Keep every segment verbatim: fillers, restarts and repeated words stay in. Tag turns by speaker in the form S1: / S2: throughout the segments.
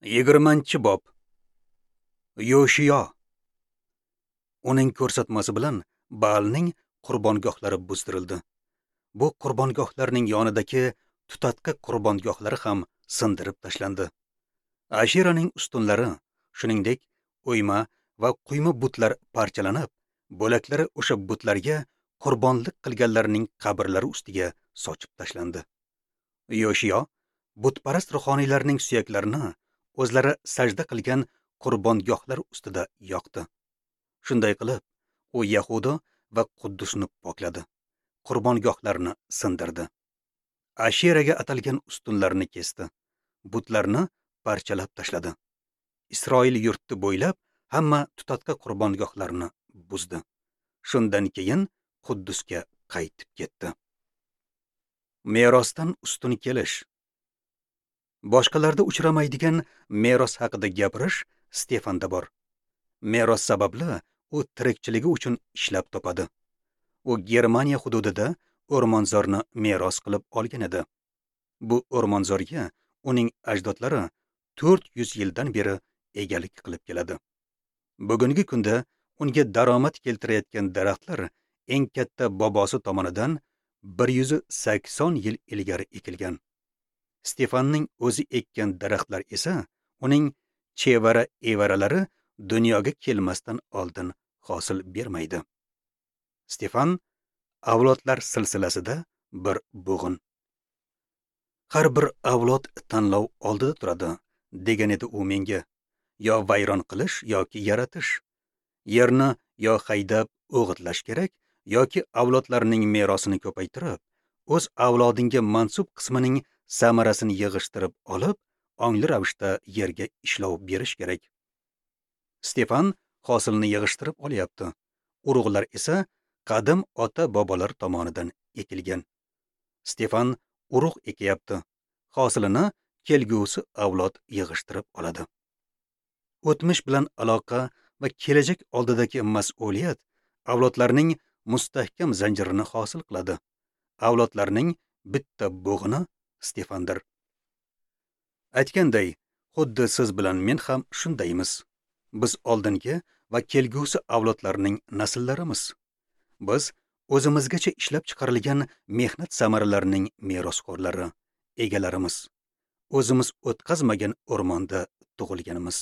S1: Yigirmanchi bob. Yoshiyo. Uning ko'rsatmasi bilan Baalning qurbongohlari buzdirildi. Bu qurbongohlarning yonidagi tutatqi qurbongohlari ham sindirib tashlandi. Ashiraning ustunlari, shuningdek, o'yma va quyma butlar parchalanib, bo'laklari o'sha butlarga qurbonlik qilganlarning qabrlari ustiga sochib tashlandi. Yoshiyo butparast ruhoniylarning suyaklarini o'zlari sajda qilgan qurbongohlar ustida yoqdi. Shunday qilib, u Yahudo va Quddusni pokladi. Qurbongohlarni sindirdi. Ashiraga atalgan ustunlarni kesdi. Butlarni parchalab tashladi. Isroil yurti bo'ylab hamma tutatqa qurbongohlarni buzdi. Shundan keyin Quddusga qaytib ketdi. Merosdan ustun kelish. Boshqalarda uchramaydigan meros haqida gapirish Stefanda bor. Meros sababli u tirikchiligi uchun ishlab topadi. U Germaniya hududida o'rmonzorni meros qilib olgan edi. Bu o'rmonzorga uning ajdodlari to'rt yuz yildan beri egalik qilib keladi. Bugungi kunda unga daromad keltirayotgan daraxtlar eng katta bobosi tomonidan bir yuz sakson yil ilgari ekilgan. Stefanning o'zi ekkan daraxtlar esa uning chevara evaralari dunyoga kelmasdan oldin hosil bermaydi. Stefan avlodlar silsilasida bir bo'g'in. Har bir avlod tanlov oldida turadi, degan edi u menga. Yo vayron qilish yoki yaratish. Yerni yo haydab o'g'itlash kerak, yoki avlodlarning merosini ko'paytirib, o'z avlodingga mansub qismining samarasini yig'ishtirib olib, ongli ravishda yerga ishlov berish kerak. Stefan hosilni yig'ishtirib olyapti. Urug'lar esa qadim ota-bobolar tomonidan ekilgan. Stefan urug' ekyapti. Hosilini kelgusi avlod yig'ishtirib oladi. O'tmish bilan aloqa va kelajak oldidagi mas'uliyat avlodlarning mustahkam zanjirini hosil qiladi. Avlodlarning bitta bo'g'ini Stefandir. Aytganday, xuddi siz bilan men ham shundaymiz. Biz oldingi va kelgusi avlodlarning nasllarimiz. Biz o'zimizgacha ishlab chiqarilgan mehnat samaralarining merosxo'rlari, egalarimiz. O'zimiz o'tkazmagan o'rmonda tug'ilganimiz.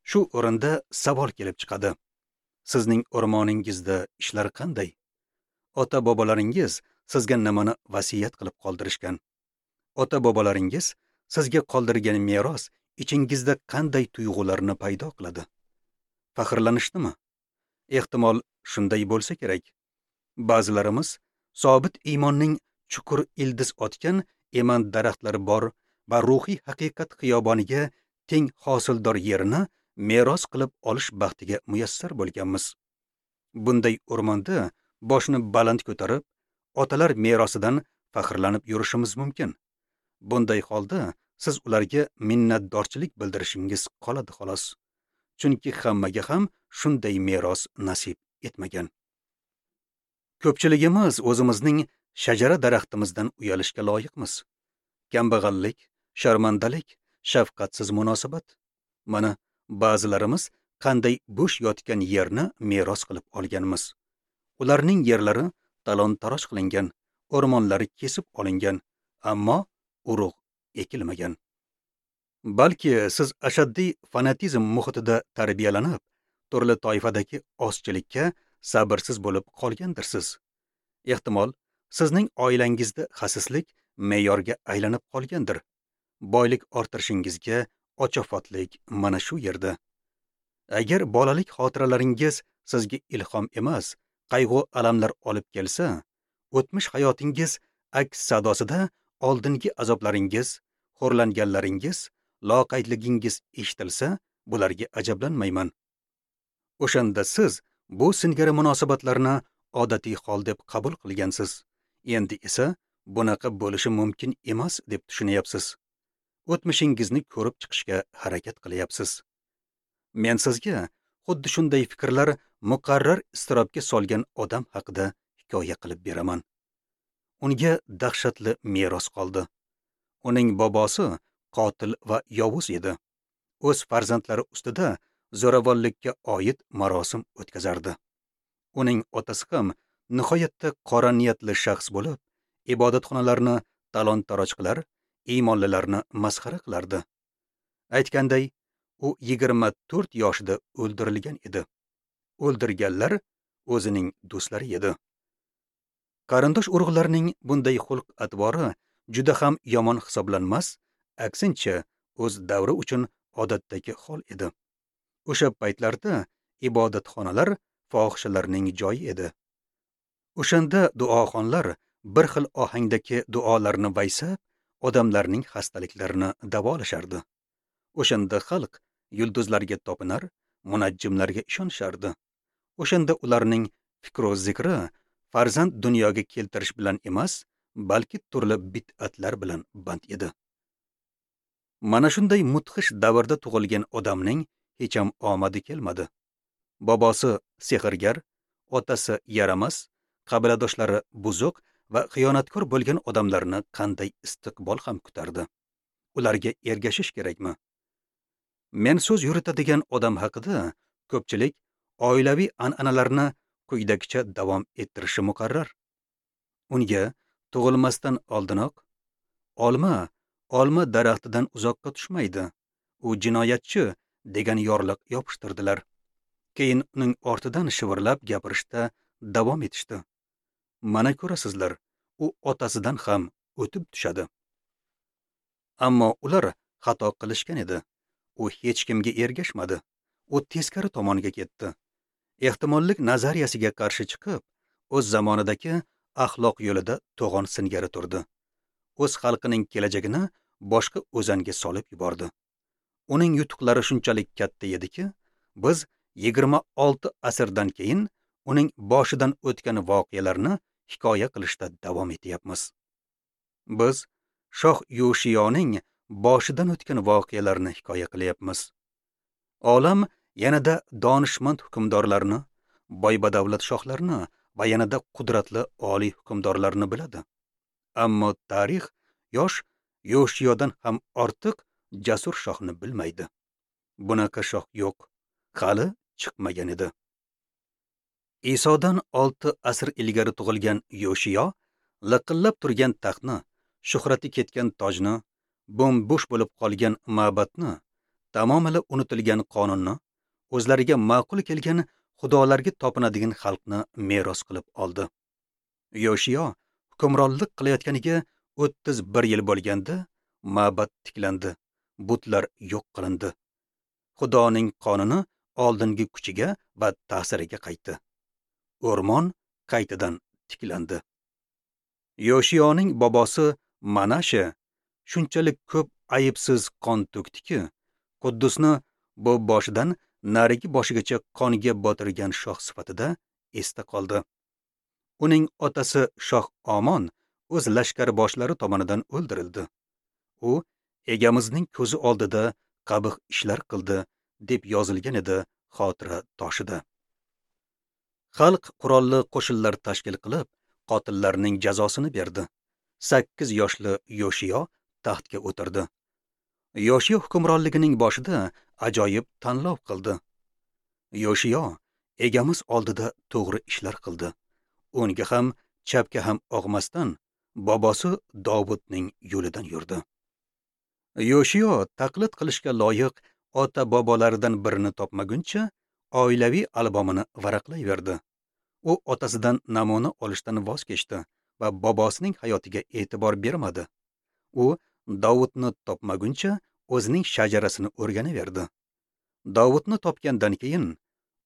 S1: Shu o'rinda savol kelib chiqadi. Sizning o'rmoningizda ishlar qanday? Ota-bobolaringiz sizga nimani vasiyat qilib qoldirishgan? Ota-bobolaringiz sizga qoldirgan meros ichingizda qanday tuyg'ularni paydo qiladi? Faxrlanishnimi? Ehtimol shunday bo'lsa kerak. Ba'zilarimiz sobit iymonning chuqur ildiz otgan eman daraxtlari bor va ruhiy haqiqat xiyoboniga teng hosildor yerini meros qilib olish baxtiga muyassar bo'lganmiz. Bunday o'rmonda boshni baland ko'tarib, otalar merosidan faxrlanib yurishimiz mumkin. Bunday holda siz ularga minnatdorchilik bildirishingiz qoladi xolos. Chunki hammaga ham shunday meros nasib etmagan. Ko'pchiligimiz o'zimizning shajara daraxtimizdan uyalishga loyiqmiz. Kambag'allik, sharmandalik, shafqatsiz munosabat. Mana ba'zilarimiz qanday bo'sh yotgan yerni meros qilib olganmiz. Ularning yerlari talon-taroj qilingan, o'rmonlari kesib olingan, ammo urug' ekilmagan. Balki siz ashaddiy fanatizm muhitida tarbiyalanib, turli toifadagi ozchilikka sabrsiz bo'lib qolgandirsiz. Ehtimol, sizning oilangizda xasislik me'yorga aylanib qolgandir. Boylik orttirishingizga ochofatlik mana shu yerda. Agar bolalik xotiralaringiz sizga ilhom emas, qayg'u alamlar olib kelsa, o'tmish hayotingiz aks sadosida oldingi azoblaringiz, xo'rlanganlaringiz, loqaydligingiz eshitilsa, bularga ajablanmayman. O'shanda siz bu singari munosabatlarni odatiy hol deb qabul qilgansiz. Endi esa bunaqa bo'lishi mumkin emas deb tushunyapsiz. O'tmishingizni ko'rib chiqishga harakat qilyapsiz. Men sizga xuddi shunday fikrlar muqarrar iztirobga solgan odam haqida hikoya qilib beraman. Unga dahshatli meros qoldi. Uning bobosi qotil va yovuz edi. O'z farzandlari ustida zo'ravonlikka oid marosim o'tkazardi. Uning otasi ham nihoyatda qora niyatli shaxs bo'lib, ibodatxonalarni talon-taroj qilar, iymonlilarni masxara qilardi. Aytganday, u yigirma to'rt yoshida o'ldirilgan edi. O'ldirganlar o'zining do'stlari edi. Qarindosh urug'larning bunday xulq-atvori juda ham yomon hisoblanmas, aksincha o'z davri uchun odatdagi hol edi. O'sha paytlarda ibodatxonalar fohishalarning joyi edi. O'shanda duoxonlar bir xil ohangdagi duolarni vaysab, odamlarning xastaliklarini davolashardi. O'shanda xalq yulduzlarga topinar, munajjimlarga ishonishardi. O'shanda ularning fikru zikri farzand dunyoga keltirish bilan emas, balki turli bid'atlar bilan band edi. Mana shunday mudhish davrda tug'ilgan odamning hech ham omadi kelmadi. Bobosi sehrgar, otasi yaramas, qabiladoshlari buzuq va xiyonatkor bo'lgan odamlarni qanday istiqbol ham kutardi? Ularga ergashish kerakmi? Men so'z yuritadigan odam haqida ko'pchilik oilaviy an'analarni quyidagicha davom ettirishi muqarrar. Unga tug'ilmasdan oldinoq olma olma daraxtidan uzoqqa tushmaydi, u jinoyatchi degan yorliq yopishtirdilar. Keyin uning ortidan shivirlab gapirishda davom etishdi. Mana ko'rasizlar, u otasidan ham o'tib tushadi. Ammo ular xato qilishgan edi. U hech kimga ergashmadi. U teskari tomonga ketdi. Ehtimollik nazariyasiga qarshi chiqib, o'z zamonidagi axloq yo'lida to'g'on singari turdi. O'z xalqining kelajagini boshqa o'zanga solib yubordi. Uning yutuqlari shunchalik katta ediki, biz yigirma olti asrdan keyin uning boshidan o'tgan voqealarni hikoya qilishda davom etyapmiz. Biz shoh Yoshiyoning boshidan o'tgan voqealarni hikoya qilyapmiz. Olam yanada donishmand hukmdorlarni, boy-badavlat shohlarni va yanada qudratli oliy hukmdorlarni biladi. Ammo tarix yosh Yoshiyodan ham ortiq jasur shohni bilmaydi. Bunaqa shoh yo'q, hali chiqmagan edi. Isodan olti asr ilgari tug'ilgan Yoshiyo liqillab turgan taxtni, shuhrati ketgan tojni, bo'm-bo'sh bo'lib qolgan ma'batni, tamomila unutilgan qonunni, o'zlariga ma'qul kelgan xudolarga topinadigan xalqni meros qilib oldi. Yoshiyo hukmronlik qilayotganiga o'ttiz bir yil bo'lganda ma'bat tiklandi, butlar yo'q qilindi. Xudoning qonuni oldingi kuchiga va ta'siriga qaytdi. O'rmon qaytadan tiklandi. Yoshiyoning bobosi Manashe shunchalik ko'p aybsiz qon to'kdiki, Quddusni bu boshidan narigi boshigacha qonga botirgan shoh sifatida esda qoldi. Uning otasi shoh Omon o'z lashkar boshlari tomonidan o'ldirildi. U egamizning ko'zi oldida qabih ishlar qildi deb yozilgan edi xotira toshida. Xalq qurolli qo'shinlar tashkil qilib, qotillarning jazosini berdi. Sakkiz yoshli Yoshiyo taxtga o'tirdi. Yoshiyo hukmronligining boshida ajoyib tanlov qildi. Yoshiyo egamiz oldida to'g'ri ishlar qildi. Unga ham, chapga ham og'masdan bobosi Dovudning yo'lidan yurdi. Yoshiyo taqlid qilishga loyiq ota-bobolaridan birini topmaguncha oilaviy albomini varaqlayverdi. U otasidan namuna olishdan voz kechdi va bobosining hayotiga e'tibor bermadi. U Dovudni topmaguncha o'zining shajarasini o'rganaverdi. Dovudni topgandan keyin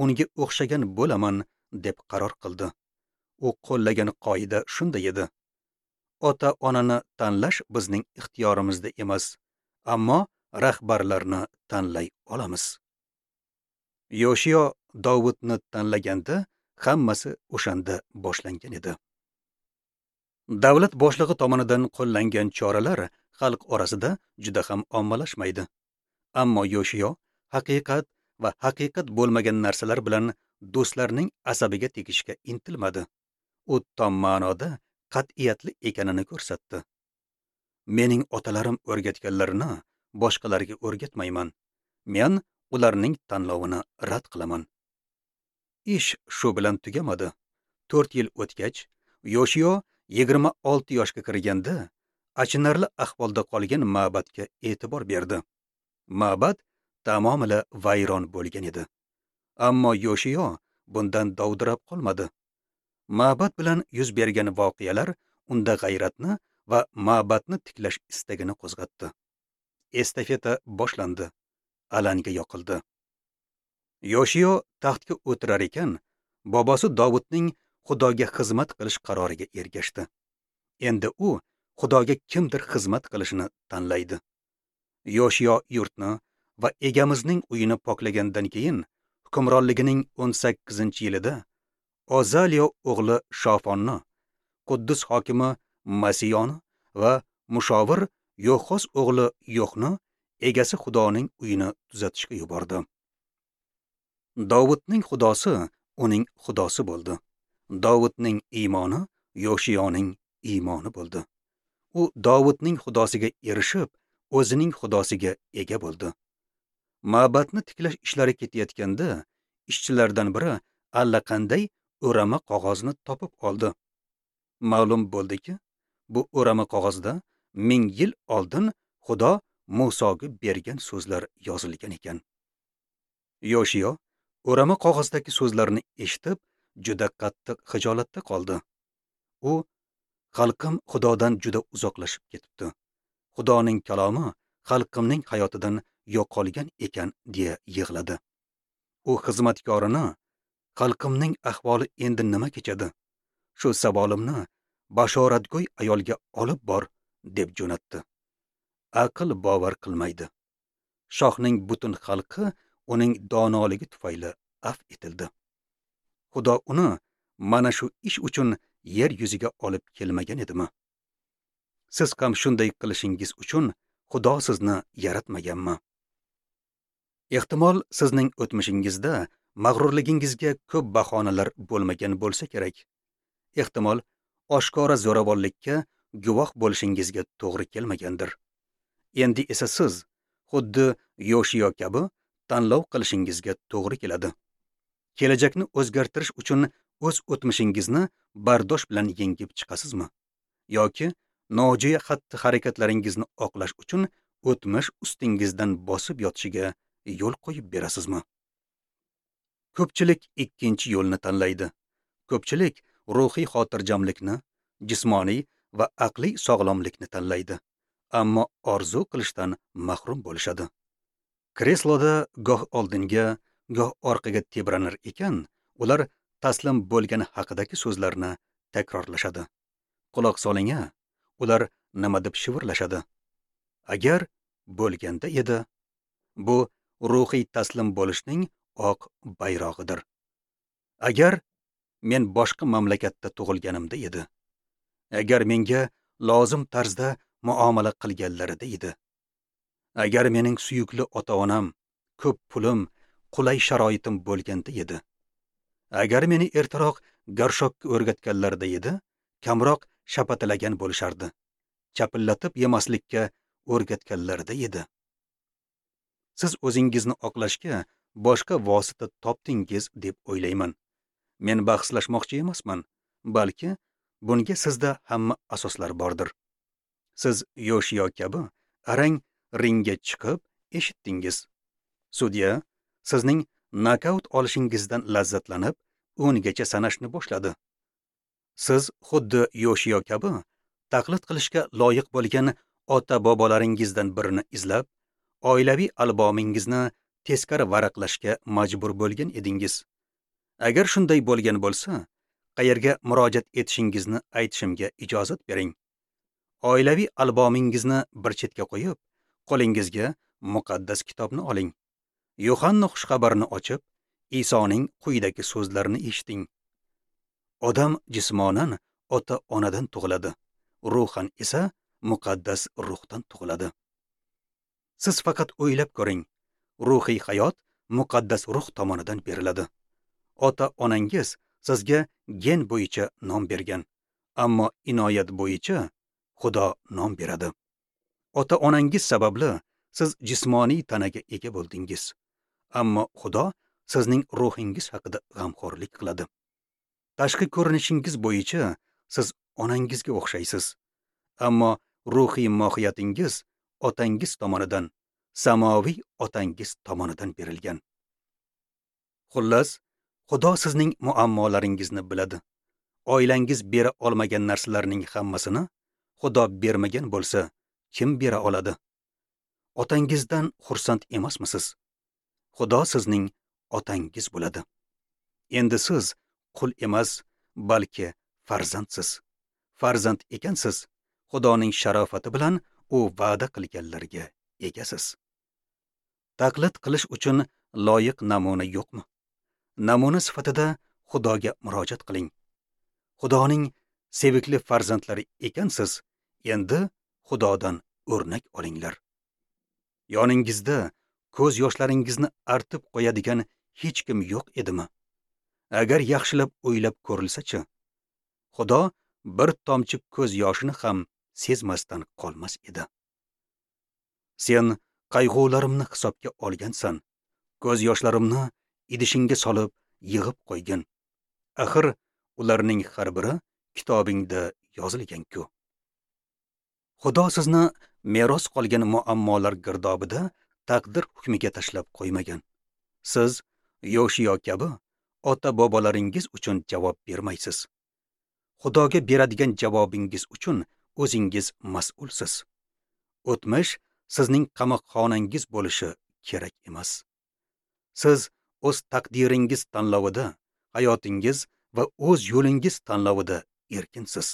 S1: unga o'xshagan bo'laman deb qaror qildi. U qo'llagan qoida shunday edi: ota-onani tanlash bizning ixtiyorimizda emas, ammo rahbarlarni tanlay olamiz. Yoshiyo Dovudni tanlaganda hammasi o'shanda boshlangan edi. Davlat boshlig'i tomonidan qo'llangan choralar xalq orasida juda ham ommalashmaydi. Ammo Yoshiyo haqiqat va haqiqat bo'lmagan narsalar bilan do'stlarning asabiga tegishga intilmadi. U tom ma'noda qat'iyatli ekanini ko'rsatdi. Mening otalarim o'rgatganlarini boshqalarga o'rgatmayman. Men ularning tanlovini rad qilaman. Ish shu bilan tugamadi. to'rt yil o'tgach, Yoshiyo yigirma olti yoshga kirganda achinarli ahvolda qolgan ma'badga e'tibor berdi. Ma'bad tamomila vayron bo'lgan edi. Ammo Yoshiyo bundan dovdirab qolmadi. Ma'bad bilan yuz bergan voqealar unda g'ayratni va ma'badni tiklash istagini qo'zg'atdi. Estafeta boshlandi. Alanga yoqildi. Yoshiyo taxtga o'tirar ekan, bobosi Dovudning Xudoga xizmat qilish qaroriga ergashdi. Endi u Xudoga kimdir xizmat qilishini tanlaydi. Yoshiyo yurtni va egamizning uyini poklagandan keyin hukmronligining o'n sakkizinchi yilida Ozaliyo o'g'li Shofonni, Quddus hokimi Masiyoni va mushovir Yo'xos o'g'li Yo'xni egasi Xudoning uyini tuzatishga yubordi. Dovudning Xudosi uning Xudosi bo'ldi. Dovudning iymoni Yoshiyoning iymoni bo'ldi. U Dovudning Xudosiga erishib, o'zining Xudosiga ega bo'ldi. Ma'badni tiklash ishlari ketayotganda ishchilardan biri allaqanday o'rama qog'ozni topib oldi. Ma'lum bo'ldiki, bu o'rama qog'ozda ming yil oldin Xudo Musoga bergan so'zlar yozilgan ekan. Yoshiyo o'rama qog'ozdagi so'zlarni eshitib, juda qattiq xijolatda qoldi. U xalqim Xudodan juda uzoqlashib ketibdi. Xudoning kalomi xalqimning hayotidan yo'qolgan ekan deya yig'ladi. U xizmatkorini xalqimning ahvoli endi nima kechadi? Shu savolimni bashoratgo'y ayolga olib bor deb jo'natdi. Aql bovar qilmaydi. Shohning butun xalqi uning donoligi tufayli af etildi. Xudo uni mana shu ish uchun yer yuziga olib kelmagan edimi? Siz ham shunday qilishingiz uchun Xudo sizni yaratmaganmi? Ehtimol sizning o'tmishingizda mag'rurligingizga ko'p bahonalar bo'lmagan bo'lsa kerak. Ehtimol oshkora zo'ravonlikka guvoh bo'lishingizga to'g'ri kelmagandir. Endi esa siz xuddi Yoshiyo kabi tanlov qilishingizga to'g'ri keladi. Kelajakni o'zgartirish uchun o'z o'tmishingizni bardosh bilan yengib chiqasizmi? Yoki nojo'ya xatti-harakatlaringizni oqlash uchun o'tmish ustingizdan bosib yotishiga yo'l qo'yib berasizmi? Ko'pchilik ikkinchi yo'lni tanlaydi. Ko'pchilik ruhiy xotirjamlikni, jismoniy va aqliy sog'lomlikni tanlaydi, ammo orzu qilishdan mahrum bo'lishadi. Kresloda goh oldinga, goh orqaga tebranar ekan, ular taslim bo'lgani haqidagi so'zlarni takrorlashadi. Quloq soling-a, ular nima deb shivirlashadi? Agar bo'lganda edi, bu ruhiy taslim bo'lishning oq bayrog'idir. Agar men boshqa mamlakatda tug'ilganimda edi, agar menga lozim tarzda muomala qilganlarida edi, agar mening suyukli ota-onam, ko'p pulim, qulay sharoitim bo'lganda edi, agar meni ertaroq garshokka o'rgatganlarida edi, kamroq shapatilagan bo'lishardi, chapillatib yemaslikka o'rgatganlarida edi. Siz o'zingizni oqlashga boshqa vosita topdingiz deb o'ylayman. Men bahslashmoqchi emasman, balki bunga sizda hamma asoslar bordir. Siz Yoshiyo kabi arang ringga chiqib eshitdingiz. Sudya sizning nokaut olishingizdan lazzatlanib, o'ngacha sanashni boshladi. Siz xuddi Yoshiyo kabi taqlid qilishga loyiq bo'lgan ota-bobolaringizdan birini izlab, oilaviy albomingizni teskari varaqlashga majbur bo'lgan edingiz. Agar shunday bo'lgan bo'lsa, qayerga murojaat etishingizni aytishimga ijozat bering. Oilaviy albomingizni bir chetga qo'yib, qo'lingizga muqaddas kitobni oling. Yo'hanna xushxabarini ochib, Isoning quyidagi so'zlarini eshiting. Odam jismonan ota-onadan tug'iladi, ruhan esa muqaddas ruhdan tug'iladi. Siz faqat o'ylab ko'ring, ruhiy hayot muqaddas ruh tomonidan beriladi. Ota-onangiz sizga gen bo'yicha nom bergan, ammo inoyat bo'yicha Xudo nom beradi. Ota-onangiz sababli Siz jismoniy tanaga ega bo'ldingiz. Ammo Xudo sizning ruhingiz haqida g'amxo'rlik qiladi. Tashqi ko'rinishingiz bo'yicha siz onangizga o'xshaysiz. Ammo ruhiy mohiyatingiz otangiz tomonidan, samoviy otangiz tomonidan berilgan. Xullas, Xudo sizning muammolaringizni biladi. Oilangiz bera olmagan narsalarning hammasini Xudo bermagan bo'lsa, kim bera oladi? Otangizdan xursand emasmisiz? Xudo sizning otangiz bo'ladi. Endi siz qul emas, balki farzandsiz. Farzand ekansiz, Xudoning sharofati bilan u va'da qilganlarga egasiz. Taqlid qilish uchun loyiq namuna yo'qmi? Namuna sifatida Xudoga murojaat qiling. Xudoning sevikli farzandlari ekansiz, endi Xudodan o'rnak olinglar. Yoningizda ko'z yoshlaringizni artib qo'yadigan hech kim yo'q edimi? Agar yaxshilab o'ylab ko'rilsa-chi, Xudo bir tomchi ko'z yoshini ham sezmasdan qolmas edi. Sen qayg'ularimni hisobga olgansan, ko'z yoshlarimni idishingga solib yig'ib qo'ygin. Axir ularning har biri kitobingda yozilgan-ku. Xudo sizni meros qolgan muammolar girdobida taqdir hukmiga tashlab qo'ymagan. Siz Yoshiyo kabi ota-bobolaringiz uchun javob bermaysiz. Xudoga beradigan javobingiz uchun o'zingiz mas'ulsiz. O'tmish sizning qamoqxonangiz bo'lishi kerak emas. Siz o'z taqdiringiz tanlovida, hayotingiz va o'z yo'lingiz tanlovida erkinsiz.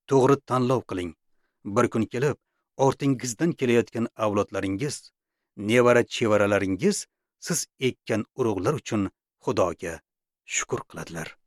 S1: To'g'ri tanlov qiling. Bir kun kelib, ortingizdan kelayotgan avlodlaringiz, nevara-chevaralaringiz siz ekkan urug'lar uchun Xudoga shukr qiladilar.